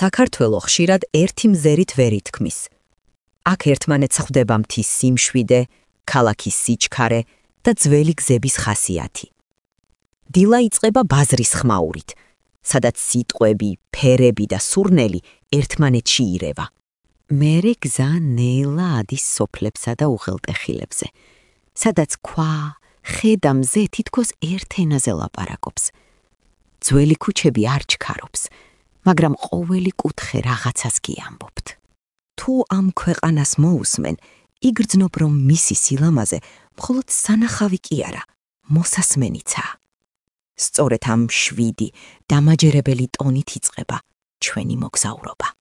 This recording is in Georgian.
საქართველო ხშირად ერთი მზერით ვერ ითქმის. აქ ერთმანეთს ხვდება მთის სიმშვიდე, ქალაქის სიჩქარე და ძველი გზების ხასიათი. დილა იწყება ბაზრის ხმაურით, სადაც სიტყვები, ფერები და სურნელი ერთმანეთში ირევა. მერე გზა ნელა ადის სოფლებსა და უღელტეხილებზე, სადაც ქვა, ხე და მზე თითქოს ერთ ენაზე ლაპარაკობს. ძველი ქუჩები არ ჩქარობს, მაგრამ ყოველი კუთხე რაღაცას გიამბობთ. თუ ამ ქვეყანას მოусმენ, იგრძნობ, რომ მისი სილამაზე მხოლოდ სანახავი კი არა, მოსასმენიცაა. სწორედ ამ შვიდი, დამაჯერებელი ტონით იწყება ჩვენი მოგზაურობა.